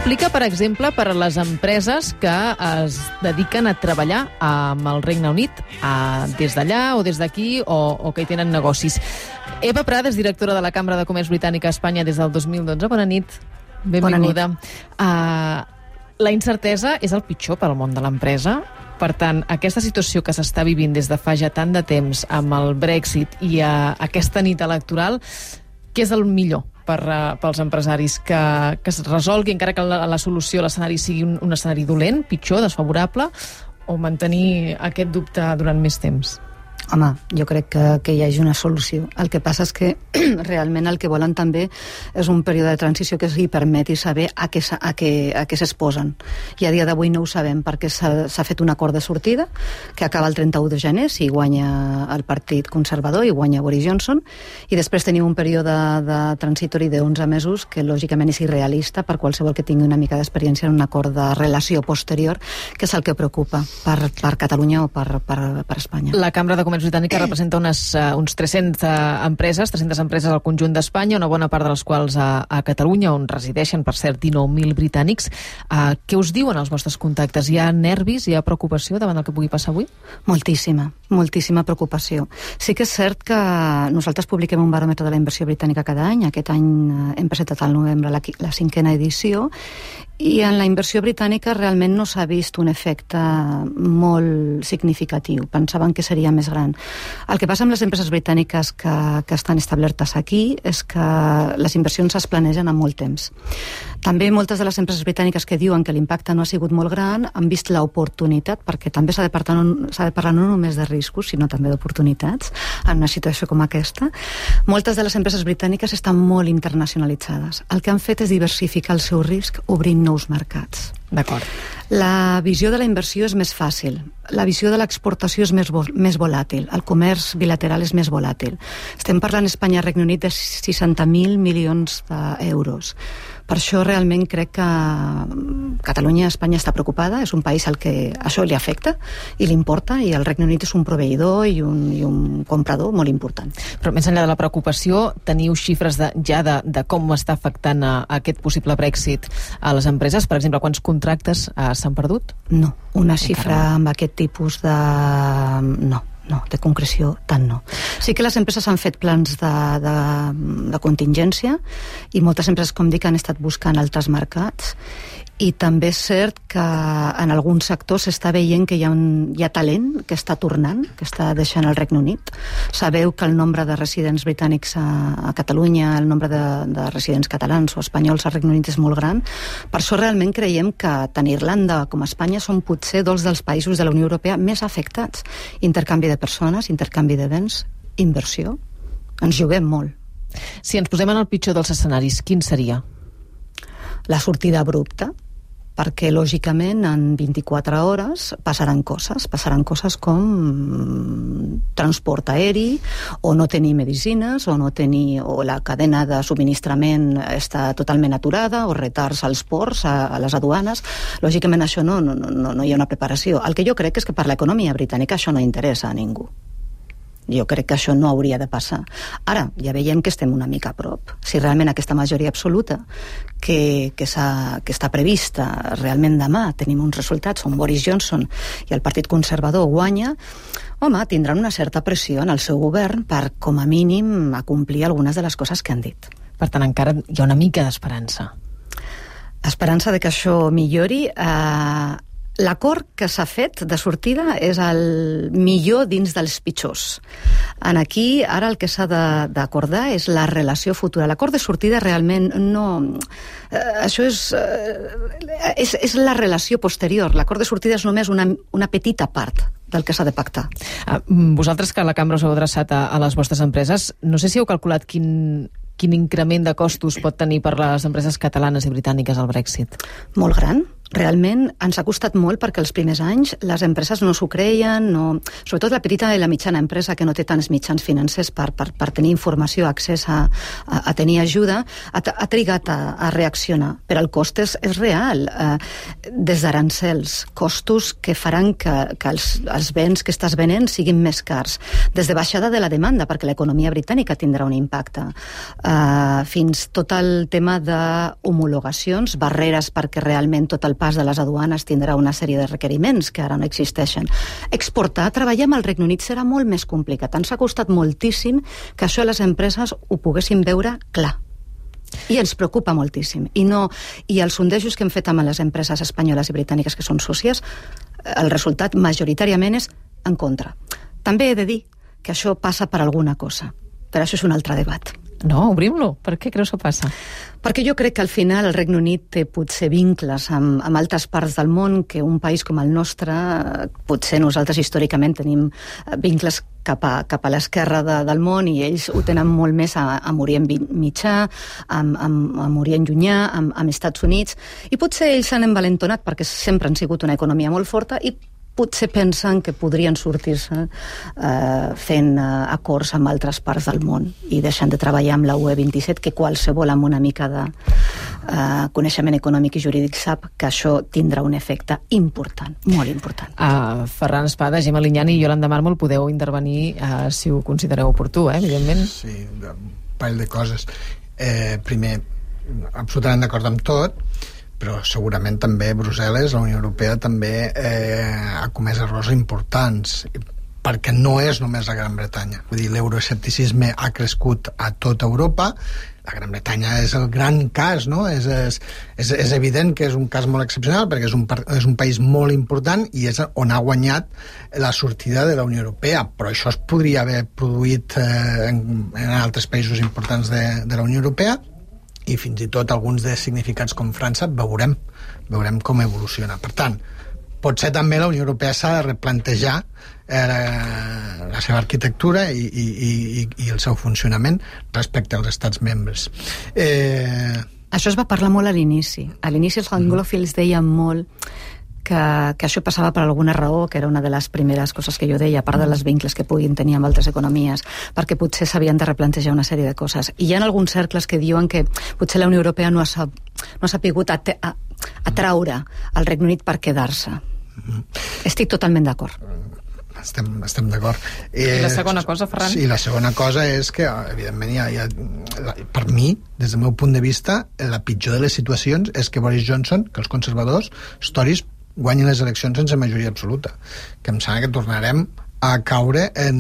implica, per exemple, per a les empreses que es dediquen a treballar amb el Regne Unit, des d'allà o des d'aquí, o que hi tenen negocis. Eva Prades, directora de la Cambra de Comerç Britànica a Espanya des del 2012. Bona nit. Benvinguda. Bona nit. La incertesa és el pitjor per al món de l'empresa. Per tant, aquesta situació que s'està vivint des de fa ja tant de temps amb el Brexit i aquesta nit electoral, què és el millor pels empresaris? Que es resolgui, encara que la solució, l'escenari sigui un escenari dolent, pitjor, desfavorable, o mantenir aquest dubte durant més temps? Home, jo crec que hi hagi una solució. El que passa és que realment el que volen també és un període de transició que els permeti saber a què s'exposen. I a dia d'avui no ho sabem perquè s'ha fet un acord de sortida que acaba el 31 de gener si guanya el Partit Conservador i guanya Boris Johnson, i després tenim un període de transitori de 11 mesos que lògicament és irrealista per qualsevol que tingui una mica d'experiència en un acord de relació posterior, que és el que preocupa per Catalunya o per Espanya. La Cambra de Comerç Britànica representa uns 300 empreses al conjunt d'Espanya, una bona part de les quals a Catalunya, on resideixen, per cert, 19.000 britànics. Què us diuen els vostres contactes? Hi ha nervis, hi ha preocupació davant el que pugui passar avui? Moltíssima preocupació. Sí que és cert que nosaltres publiquem un baròmetre de la inversió britànica cada any. Aquest any hem presentat al novembre la 5ª edició, i en la inversió britànica realment no s'ha vist un efecte molt significatiu. Pensaven que seria més gran. El que passa amb les empreses britàniques que estan establertes aquí és que les inversions es planegen amb molt temps. També moltes de les empreses britàniques que diuen que l'impacte no ha sigut molt gran han vist l'oportunitat, perquè també s'ha de parlar no només de riscos, sinó també d'oportunitats en una situació com aquesta. Moltes de les empreses britàniques estan molt internacionalitzades. El que han fet és diversificar el seu risc obrint nous mercats. D'acord. La visió de la inversió és més fàcil. La visió de l'exportació és més volàtil. El comerç bilateral és més volàtil. Estem parlant Espanya-Regne Unit de 60.000 milions d'euros. Per això realment crec que Catalunya, Espanya està preocupada. És un país al que això li afecta i li importa, i el Regne Unit és un proveïdor i un comprador molt important. Però més enllà de la preocupació, teniu xifres de com està afectant aquest possible Brexit a les empreses? Per exemple, quants contractes s'han perdut? No, una xifra amb aquest tipus de... No, de concreció tant no. Sí que les empreses han fet plans de contingència, i moltes empreses, com dic, han estat buscant altres mercats, i també és cert que en alguns sectors s'està veient que hi ha talent que està tornant, que està deixant el Regne Unit. Sabeu que el nombre de residents britànics a Catalunya, el nombre de residents catalans o espanyols al Regne Unit és molt gran. Per això realment creiem que tant Irlanda com Espanya són potser dos dels països de la Unió Europea més afectats. Intercanvi de persones, intercanvi de béns, inversió. Ens juguem molt. Si ens posem en el pitjor dels escenaris, quin seria? La sortida abrupta, perquè lògicament en 24 hores passaran coses com transport aeri, o no tenir medicines, o la cadena de subministrament està totalment aturada, o retards als ports, a les aduanes. Lògicament això no hi ha una preparació. El que jo crec és que per l'economia britànica això no interessa a ningú. Jo crec que això no hauria de passar. Ara, ja veiem que estem una mica a prop. Si realment aquesta majoria absoluta que està prevista realment demà, tenim uns resultats on Boris Johnson i el Partit Conservador guanya, home, tindran una certa pressió en el seu govern per, com a mínim, acomplir algunes de les coses que han dit. Per tant, encara hi ha una mica d'esperança. Esperança de que això millori. L'acord que s'ha fet de sortida és el millor dins dels pitjors. Aquí, ara el que s'ha d'acordar és la relació futura. L'acord de sortida realment no... Això és la relació posterior. L'acord de sortida és només una petita part del que s'ha de pactar. Vosaltres, que a la Cambra us heu adreçat a les vostres empreses, no sé si heu calculat quin increment de costos pot tenir per les empreses catalanes i britàniques el Brexit. Molt gran. realment ens ha costat molt perquè els primers anys les empreses no s'ho creien, sobretot la petita i la mitjana empresa que no té tants mitjans financers per tenir informació, accés a tenir ajuda, ha trigat a reaccionar, però el cost és real. Des d'arancels, costos que faran que els béns que estàs venent siguin més cars, des de baixada de la demanda, perquè l'economia britànica tindrà un impacte, fins tot el tema d'homologacions, barreres perquè realment tot el pas de les aduanes tindrà una sèrie de requeriments que ara no existeixen. Exportar, treballar amb el Regne Unit serà molt més complicat. Ens ha costat moltíssim que això les empreses ho poguessin veure clar. I ens preocupa moltíssim. I els sondejos que hem fet amb les empreses espanyoles i britàniques que són sòcies, el resultat majoritàriament és en contra. També he de dir que això passa per alguna cosa, però això és un altre debat. No, obrim-lo. Per què creus que passa? Perquè jo crec que al final el Regne Unit té potser vincles amb altres parts del món que un país com el nostre, potser nosaltres històricament tenim vincles cap a l'esquerra del món i ells ho tenen molt més amb Orient Mitjà, amb Orient Llunyà, amb Estats Units, i potser ells s'han envalentonat perquè sempre han sigut una economia molt forta i potser pensen que podrien sortir-se fent acords amb altres parts del món i deixant de treballar amb la UE27, que qualsevol amb una mica de coneixement econòmic i jurídic sap que això tindrà un efecte important, molt important. Ferran Espada, Gemma Lignani i Iolanda Mármol, podeu intervenir si ho considereu oportú, evidentment. Sí, un parell de coses. Primer, absolutament d'acord amb tot, però segurament també Brussel·les, la Unió Europea també ha comès errors importants, perquè no és només la Gran Bretanya. Vull dir, l'euroescepticisme ha crescut a tota Europa. La Gran Bretanya és el gran cas, no? És evident que és un cas molt excepcional perquè és un país molt important i és on ha guanyat la sortida de la Unió Europea, però això es podria haver produït en altres països importants de la Unió Europea, i fins i tot alguns de significats com França veurem com evoluciona. Per tant, potser també la Unió Europea s'ha de replantejar la seva arquitectura i el seu funcionament respecte als estats membres. Això es va parlar molt a l'inici. A l'inici els anglòfils deien molt que això passava per alguna raó, que era una de les primeres coses que jo deia, a part de les vincles que puguin tenir amb altres economies, perquè potser s'havien de replantejar una sèrie de coses. I hi ha alguns cercles que diuen que potser la Unió Europea no ha sapigut atraure el Regne Unit per quedar-se. Estic totalment d'acord. Estem d'acord. I la segona cosa, Ferran? Sí, la segona cosa és que, evidentment, per mi, des del meu punt de vista, la pitjor de les situacions és que Boris Johnson, que els conservadors, els Tories, guanyin les eleccions sense majoria absoluta. Que em sembla que tornarem a caure que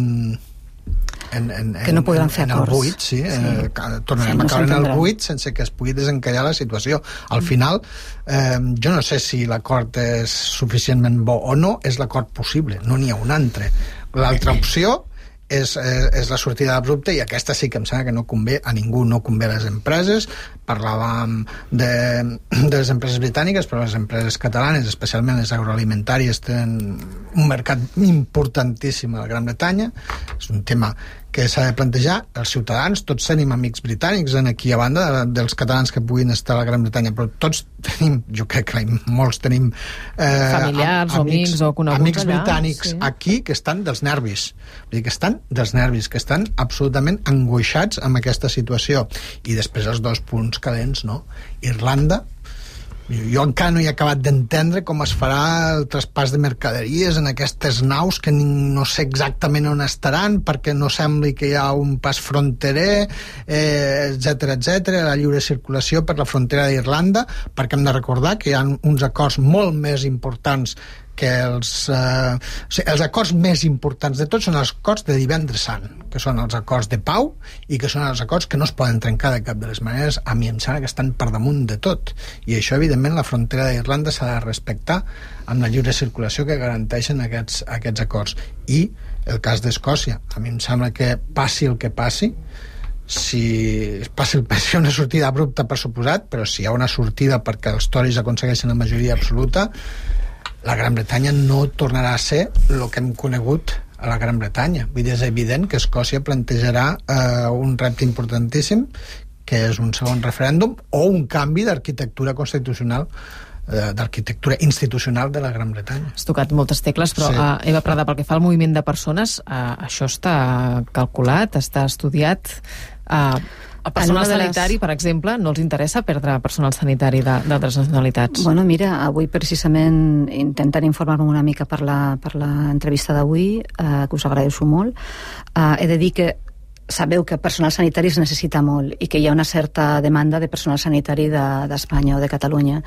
no podran fer acords. En el buit, sí. Tornarem a caure en el buit sense que es pugui desencallar la situació. Al final, jo no sé si l'acord és suficientment bo o no, és l'acord possible, no n'hi ha un altre. L'altra opció és la sortida abrupta, i aquesta sí que em sembla que no convé a ningú, no convé a les empreses. Parlàvem de les empreses britàniques, però les empreses catalanes, especialment les agroalimentàries, tenen un mercat importantíssim a la Gran Bretanya. És un tema que s'ha de plantejar. Els ciutadans, tots tenim amics britànics aquí, a banda dels catalans que puguin estar a la Gran Bretanya, però tots tenim, jo crec que molts tenim familiars, amics o coneguts amics allà, britànics, sí, aquí, que estan dels nervis. Vull dir, que estan dels nervis, que estan absolutament angoixats amb aquesta situació. I després els dos punts calents, no? Irlanda, jo encara no he acabat d'entendre com es farà el traspàs de mercaderies en aquestes naus que no sé exactament on estaran, perquè no sembli que hi ha un pas fronterer, etc., la lliure circulació per la frontera d'Irlanda, perquè hem de recordar que hi ha uns acords molt més importants que els acords més importants de tots són els acords de Divendres Sant, que són els acords de pau i que són els acords que no es poden trencar de cap de les maneres. A mi em sembla que estan per damunt de tot, i això evidentment la frontera d'Irlanda s'ha de respectar amb la lliure circulació que garanteixen aquests acords. I el cas d'Escòcia, a mi em sembla que passi el que passi, si una sortida abrupta, per suposat, però si hi ha una sortida perquè els Tories aconsegueixen la majoria absoluta, la Gran Bretanya no tornarà a ser el que hem conegut a la Gran Bretanya. Vull dir, és evident que Escòcia plantejarà un repte importantíssim, que és un segon referèndum o un canvi d'arquitectura constitucional d'arquitectura institucional de la Gran Bretanya. Has tocat moltes tecles, però Sí. Eva Prada, pel que fa al moviment de persones, això està calculat, està estudiat. El personal sanitari, per exemple, no els interessa perdre personal sanitari d'altres nacionalitats? Bueno, mira, avui precisament intentant informar-me una mica per l'entrevista d'avui, que us agraeixo molt. He de dir que sabeu que personal sanitari es necessita molt i que hi ha una certa demanda de personal sanitari d'Espanya o de Catalunya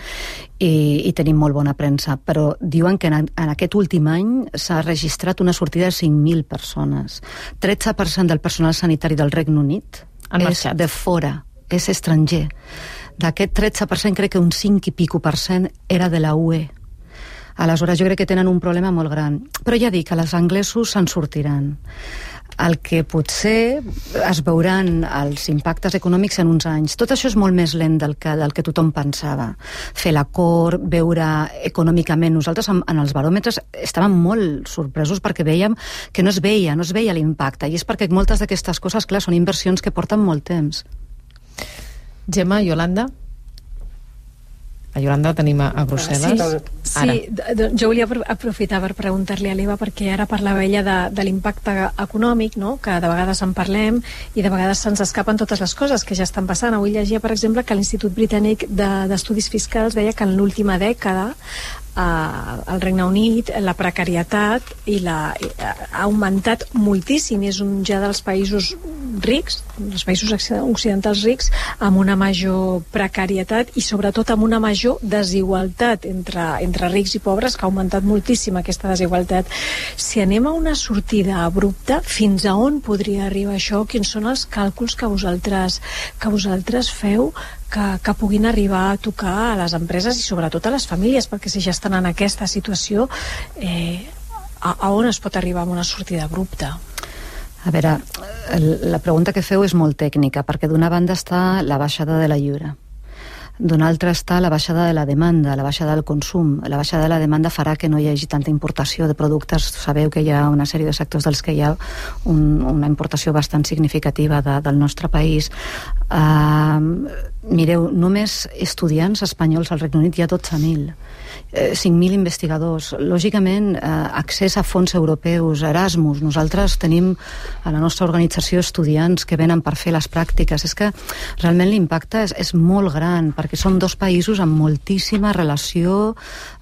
i tenim molt bona premsa, però diuen que en aquest últim any s'ha registrat una sortida de 5.000 persones. 13% del personal sanitari del Regne Unit és de fora, és estranger. D'aquest 13% crec que un 5 i pico % era de la UE. Aleshores jo crec que tenen un problema molt gran. Però ja dic que els anglesos se'n sortiran. El que potser es veuran els impactes econòmics en uns anys. Tot això és molt més lent del que tothom pensava. Fer l'acord, veure econòmicament. Nosaltres en els baròmetres estàvem molt sorpresos perquè veiem que no es veia l'impacte. I és perquè moltes d'aquestes coses, clar, són inversions que porten molt temps. Gemma, Yolanda? A Yolanda la tenim a Brussel·les. Sí, jo volia aprofitar per preguntar-li a l'Eva, perquè ara parlava ella de l'impacte econòmic, no? Que de vegades en parlem i de vegades se'ns escapen totes les coses que ja estan passant. Avui llegia, per exemple, que l'Institut Britànic d'Estudis Fiscals deia que en l'última dècada al Regne Unit la precarietat ha augmentat moltíssim. És un ja dels països rics, els països occidentals rics, amb una major precarietat i sobretot amb una major desigualtat entre rics i pobres, que ha augmentat moltíssim aquesta desigualtat. Si anem a una sortida abrupta, fins a on podria arribar això? Quins són els càlculs que vosaltres feu que puguin arribar a tocar a les empreses i sobretot a les famílies, perquè si ja estan en aquesta situació, a on es pot arribar amb una sortida abrupta? A veure, la pregunta que feu és molt tècnica, perquè d'una banda està la baixada de la lliure, d'una altra està la baixada de la demanda, la baixada del consum. La baixada de la demanda farà que no hi hagi tanta importació de productes. Sabeu que hi ha una sèrie de sectors dels que hi ha una importació bastant significativa del nostre país. Mireu, només estudiants espanyols al Regne Unit hi ha 12.000. 5.000 investigadors. Lògicament, accés a fons europeus, Erasmus. Nosaltres tenim a la nostra organització estudiants que venen per fer les pràctiques. És que realment l'impacte és molt gran, perquè som dos països amb moltíssima relació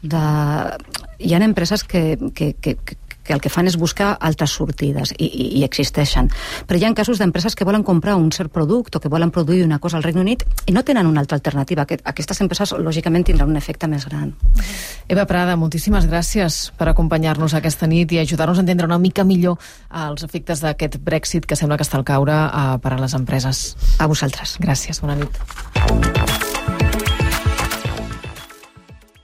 Hi ha empreses que el que fan és buscar altres sortides i existeixen. Però hi ha casos d'empreses que volen comprar un cert producte o que volen produir una cosa al Regne Unit i no tenen una altra alternativa. Aquestes empreses, lògicament, tindran un efecte més gran. Eva Prada, moltíssimes gràcies per acompanyar-nos aquesta nit i ajudar-nos a entendre una mica millor els efectes d'aquest Brexit que sembla que està al caure per a les empreses. A vosaltres. Gràcies, bona nit.